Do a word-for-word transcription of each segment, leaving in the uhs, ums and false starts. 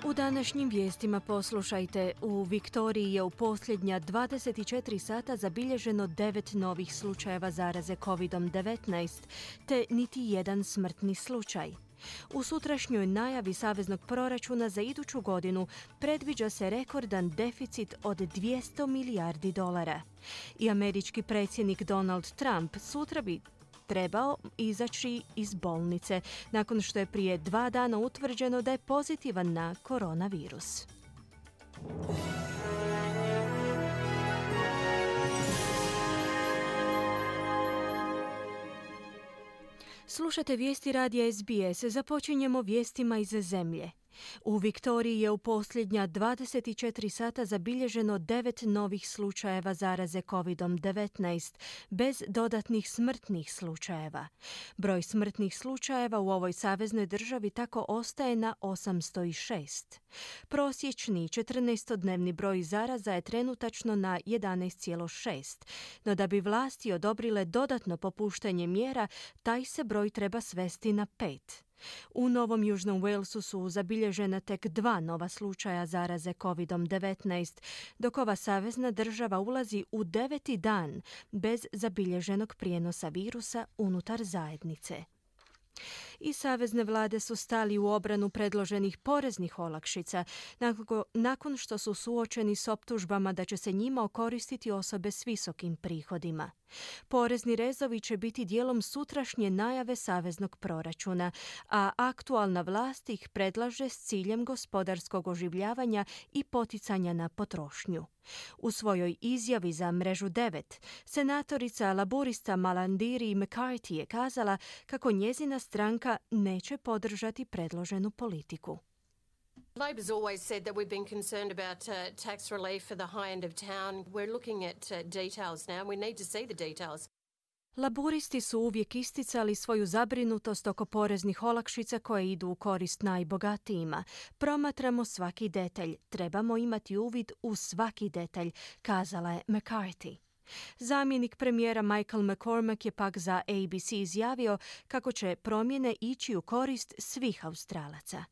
U današnjim vijestima poslušajte, u Viktoriji je u posljednja dvadeset četiri sata zabilježeno devet novih slučajeva zaraze kovid devetnaest, te niti jedan smrtni slučaj. U sutrašnjoj najavi saveznog proračuna za iduću godinu predviđa se rekordan deficit od dvjesto milijardi dolara. I američki predsjednik Donald Trump sutra bi trebao izaći iz bolnice nakon što je prije dva dana utvrđeno da je pozitivan na koronavirus. Slušate vijesti radija S B S. Započinjemo vijestima iz zemlje. U Viktoriji je u posljednja dvadeset četiri sata zabilježeno devet novih slučajeva zaraze kovid devetnaest, bez dodatnih smrtnih slučajeva. Broj smrtnih slučajeva u ovoj saveznoj državi tako ostaje na osamsto šest. Prosječni četrnaestodnevni broj zaraza je trenutačno na jedanaest zarez šest, no da bi vlasti odobrile dodatno popuštanje mjera, taj se broj treba svesti na pet. U Novom Južnom Walesu su zabilježena tek dva nova slučaja zaraze kovid devetnaest, dok ova savezna država ulazi u deveti dan bez zabilježenog prijenosa virusa unutar zajednice. I savezne vlade su stali u obranu predloženih poreznih olakšica nakon što su suočeni s optužbama da će se njima okoristiti osobe s visokim prihodima. Porezni rezovi će biti dijelom sutrašnje najave saveznog proračuna, a aktualna vlast ih predlaže s ciljem gospodarskog oživljavanja i poticanja na potrošnju. U svojoj izjavi za mrežu devet, senatorica laburista Malandiri McCarthy je kazala kako njezina stranka neće podržati predloženu politiku. Labor's always said that we've been concerned about uh, tax relief for the high end of town. We're looking at uh, details now. We need to see the details. Laburisti su uvijek isticali svoju zabrinutost oko poreznih olakšica koje idu u korist najbogatijima. Promatramo svaki detalj. Trebamo imati uvid u svaki detalj, kazala je McCarthy. Zamjenik premijera Michael McCormack je pak za A B C izjavio kako će promjene ići u korist svih Australaca.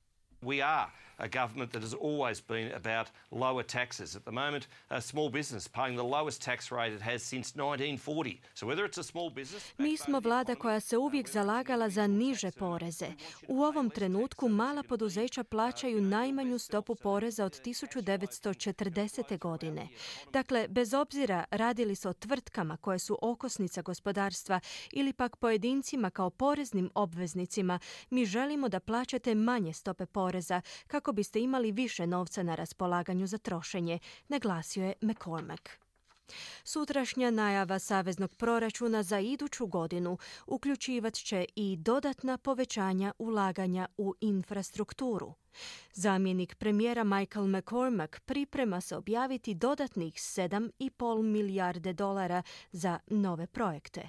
We are a government that has always been about lower taxes. At the moment, a small business paying the lowest tax rate it has since nineteen forty. So whether it's a small business... Mi smo vlada koja se uvijek zalagala za niže poreze. U ovom trenutku mala poduzeća plaćaju najmanju stopu poreza od tisuću devetsto četrdesete. godine. Dakle, bez obzira radili se o tvrtkama koje su okosnica gospodarstva ili pak pojedincima kao poreznim obveznicima, mi želimo da plaćate manje stope poreza kako biste imali više novca na raspolaganju za trošenje, naglasio je McCormack. Sutrašnja najava saveznog proračuna za iduću godinu uključivat će i dodatna povećanja ulaganja u infrastrukturu. Zamjenik premijera Michael McCormack priprema se objaviti dodatnih sedam i pol milijarde dolara za nove projekte.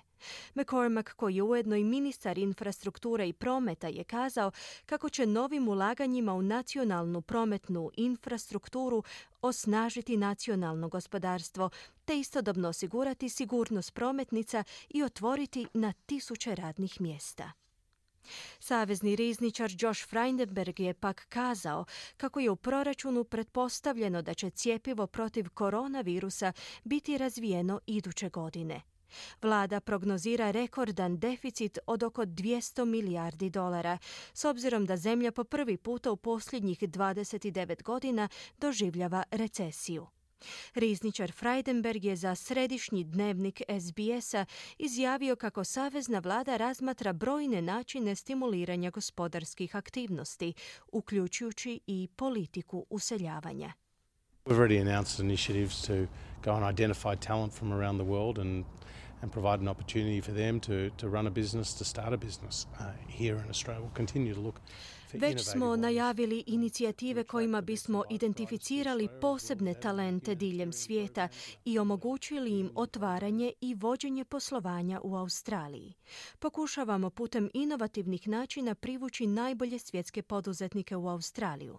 McCormack, koji je ujedno i ministar infrastrukture i prometa, je kazao kako će novim ulaganjima u nacionalnu prometnu infrastrukturu osnažiti nacionalno gospodarstvo, te istodobno osigurati sigurnost prometnica i otvoriti na tisuće radnih mjesta. Savezni rizničar Josh Frydenberg je pak kazao kako je u proračunu pretpostavljeno da će cjepivo protiv koronavirusa biti razvijeno iduće godine. Vlada prognozira rekordan deficit od oko dvjesto milijardi dolara, s obzirom da zemlja po prvi puta u posljednjih dvadeset devet godina doživljava recesiju. Rizničar Frydenberg je za središnji dnevnik S B S-a izjavio kako savezna vlada razmatra brojne načine stimuliranja gospodarskih aktivnosti, uključujući i politiku useljavanja. We've already announced initiatives to go and identify talent from around the world and and provide an opportunity for them to to run a business, to start a business uh, here in Australia. We'll continue to look. Već smo najavili inicijative kojima bismo identificirali posebne talente diljem svijeta i omogućili im otvaranje i vođenje poslovanja u Australiji. Pokušavamo putem inovativnih načina privući najbolje svjetske poduzetnike u Australiju.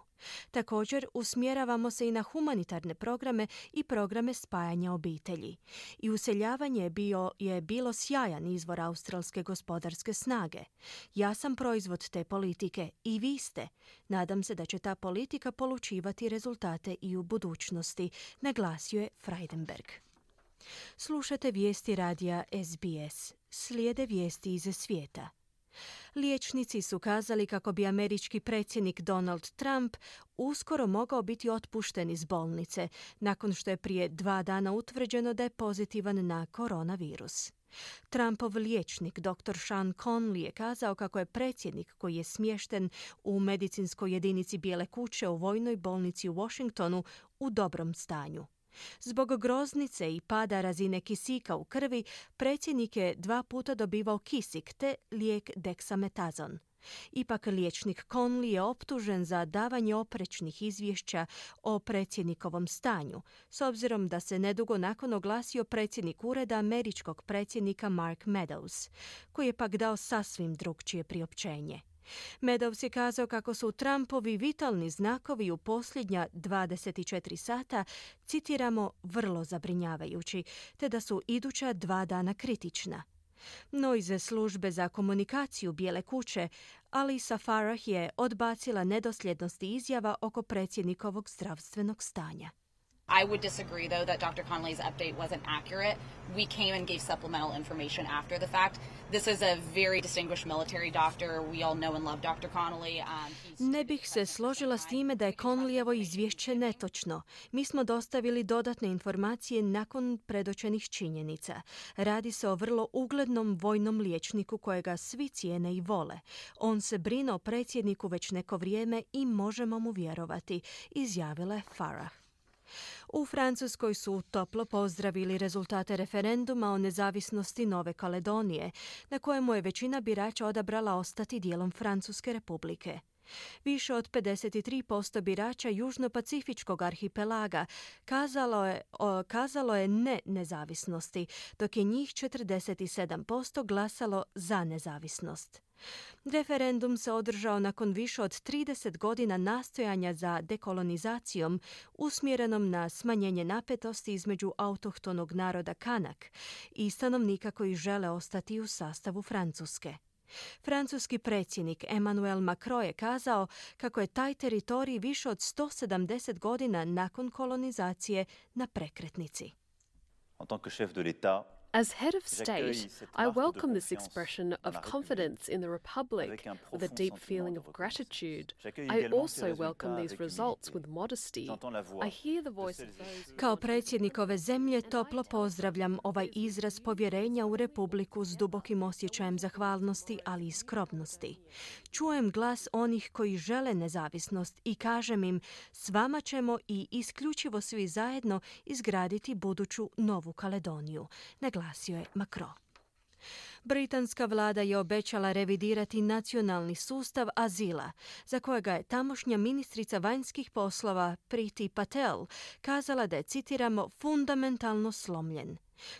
Također, usmjeravamo se i na humanitarne programe i programe spajanja obitelji. I useljavanje je, bio, je bilo sjajan izvor australske gospodarske snage. Ja sam proizvod te politike i i vi ste. Nadam se da će ta politika polučivati rezultate i u budućnosti, naglasio je Frydenberg. Slušate vijesti radija S B S. Slijede vijesti iz svijeta. Liječnici su kazali kako bi američki predsjednik Donald Trump uskoro mogao biti otpušten iz bolnice, nakon što je prije dva dana utvrđeno da je pozitivan na koronavirus. Trumpov liječnik doktor Sean Conley je kazao kako je predsjednik koji je smješten u medicinskoj jedinici Bijele kuće u vojnoj bolnici u Washingtonu u dobrom stanju. Zbog groznice i pada razine kisika u krvi, predsjednik je dva puta dobivao kisik te lijek dexametazon. Ipak liječnik Conley je optužen za davanje oprečnih izvješća o predsjednikovom stanju, s obzirom da se nedugo nakon oglasio predsjednik ureda američkog predsjednika Mark Meadows, koji je pak dao sasvim drukčije priopćenje. Meadows je kazao kako su Trumpovi vitalni znakovi u posljednja dvadeset četiri sata, citiramo, vrlo zabrinjavajući, te da su iduća dva dana kritična. No iz službe za komunikaciju Bijele kuće, Alisa Farah je odbacila nedosljednosti izjava oko predsjednikovog zdravstvenog stanja. I would disagree, though, that Doctor Conley's update wasn't accurate. We came and gave supplemental information after the fact. This is a very distinguished military doctor. We all know and love doctor Connelly. Um, ne bih se složila s time da je Conleyevo izvješće netočno. Mi smo dostavili dodatne informacije nakon predočenih činjenica. Radi se o vrlo uglednom vojnom liječniku kojega svi cijene i vole. On se brine o predsjedniku već neko vrijeme i možemo mu vjerovati, izjavila je Farah. U Francuskoj su toplo pozdravili rezultate referenduma o nezavisnosti Nove Kaledonije, na kojemu je većina birača odabrala ostati dijelom Francuske republike. Više od pedeset tri posto birača Južno-Pacifičkog arhipelaga kazalo je, o, kazalo je ne nezavisnosti, dok je njih četrdeset sedam posto glasalo za nezavisnost. Referendum se održao nakon više od trideset godina nastojanja za dekolonizacijom usmjerenom na smanjenje napetosti između autohtonog naroda Kanak i stanovnika koji žele ostati u sastavu Francuske. Francuski predsjednik Emmanuel Macron je kazao kako je taj teritorij više od sto sedamdeset godina nakon kolonizacije na prekretnici. En tant que chef de l'État, as head of state, I welcome this expression of confidence in the Republic with a deep feeling of gratitude. I also welcome these results with modesty. I hear the voice of those... Kao predsjednik ove zemlje toplo pozdravljam ovaj izraz povjerenja u Republiku s dubokim osjećajem zahvalnosti, ali i skromnosti. Čujem glas onih koji žele nezavisnost i kažem im, s vama ćemo i isključivo svi zajedno izgraditi buduću Novu Kaledoniju, naglasio je Macron. Britanska vlada je obećala revidirati nacionalni sustav azila, za kojega je tamošnja ministrica vanjskih poslova Priti Patel kazala da je, citiramo, fundamentalno slomljen.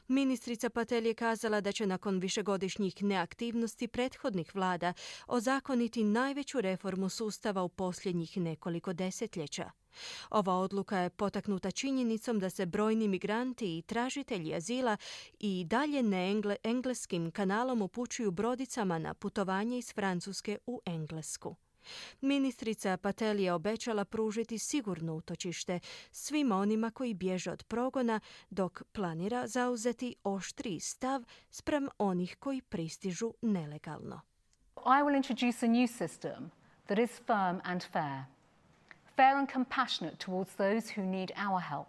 Ministrica Patel je kazala da će nakon višegodišnjih neaktivnosti prethodnih vlada ozakoniti najveću reformu sustava u posljednjih nekoliko desetljeća. Ova odluka je potaknuta činjenicom da se brojni migranti i tražitelji azila i dalje engleskim kanalom upućuju brodicama na putovanje iz Francuske u Englesku. Ministrica Patel je obećala pružiti sigurno utočište svima onima koji bježe od progona, dok planira zauzeti oštriji stav spram onih koji pristižu nelegalno. I will introduce a new system that is firm and fair. Fair and compassionate towards those who need our help.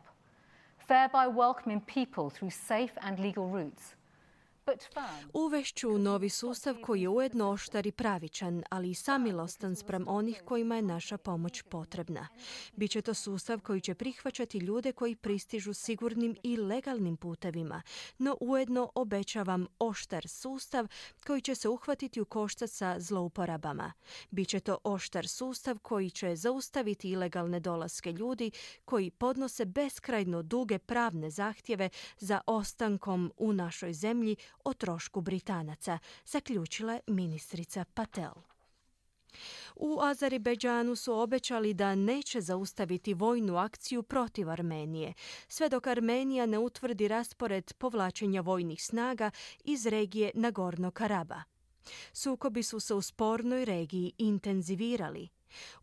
Fair by welcoming people through safe and legal routes. Uvešću novi sustav koji je ujedno oštar i pravičan, ali i samilostan spram onih kojima je naša pomoć potrebna. Biće to sustav koji će prihvaćati ljude koji pristižu sigurnim i legalnim putevima, no ujedno obećavam oštar sustav koji će se uhvatiti u koštac sa zlouporabama. Biće to oštar sustav koji će zaustaviti ilegalne dolaske ljudi koji podnose beskrajno duge pravne zahtjeve za ostankom u našoj zemlji o trošku Britanaca, zaključila je ministrica Patel. U Azerbejdžanu su obećali da neće zaustaviti vojnu akciju protiv Armenije, sve dok Armenija ne utvrdi raspored povlačenja vojnih snaga iz regije Nagorno Karaba. Sukobi su se u spornoj regiji intenzivirali.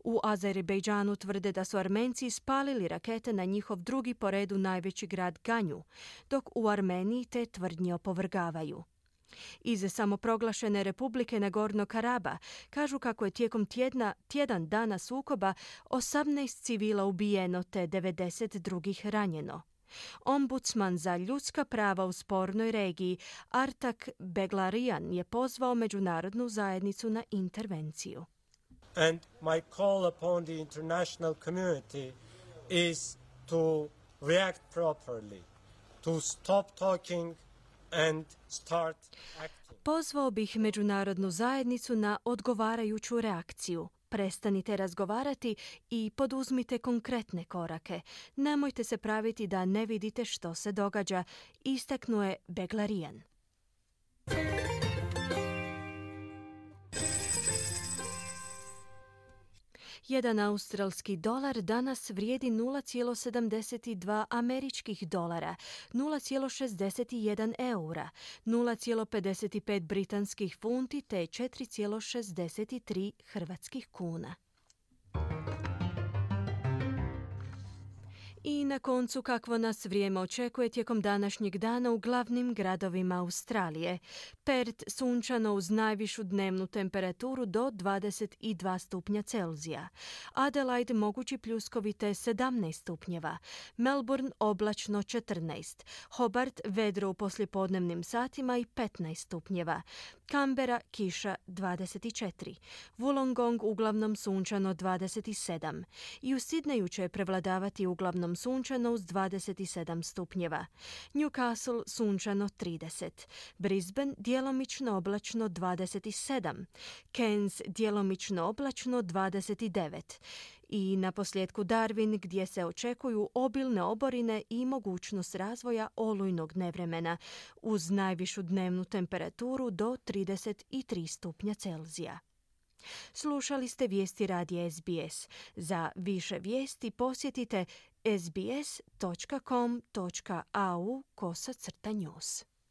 U Azerbejdžanu tvrde da su Armenci spalili rakete na njihov drugi po redu najveći grad Ganju, dok u Armeniji te tvrdnje opovrgavaju. Iz samoproglašene Republike Nagorno-Karaba kažu kako je tijekom tjedna, tjedan dana sukoba osamnaest civila ubijeno te devedeset drugih ranjeno. Ombudsman za ljudska prava u spornoj regiji Artak Beglarian je pozvao međunarodnu zajednicu na intervenciju. And my call upon the international community is to react properly, to stop talking and start acting. Pozvao bih međunarodnu zajednicu na odgovarajuću reakciju. Prestanite razgovarati i poduzmite konkretne korake. Nemojte se praviti da ne vidite što se događa, istaknuo je Beglarian. Jedan australski dolar danas vrijedi nula zarez sedamdeset dva američkih dolara, nula zarez šezdeset jedan eura, nula zarez pedeset pet britanskih funti te četiri zarez šezdeset tri hrvatskih kuna. I na koncu kakvo nas vrijeme očekuje tijekom današnjeg dana u glavnim gradovima Australije. Perth sunčano uz najvišu dnevnu temperaturu do dvadeset dva stupnja Celzija. Adelaide mogući pljuskovi te sedamnaest stupnjeva. Melbourne oblačno četrnaest. Hobart vedro u poslijepodnevnim satima i petnaest stupnjeva. Canberra kiša dvadeset četiri. Wollongong uglavnom sunčano dvadeset sedam. I u Sidneju će prevladavati uglavnom sunčano uz dvadeset sedam stupnjeva. Newcastle sunčano trideset. Brisbane djelomično oblačno dvadeset sedam. Cairns djelomično oblačno dvadeset devet. I na posljedku Darwin gdje se očekuju obilne oborine i mogućnost razvoja olujnog nevremena uz najvišu dnevnu temperaturu do trideset tri stupnja Celzija. Slušali ste vijesti radija S B S. Za više vijesti posjetite sbs točka com točka au kosacrta news.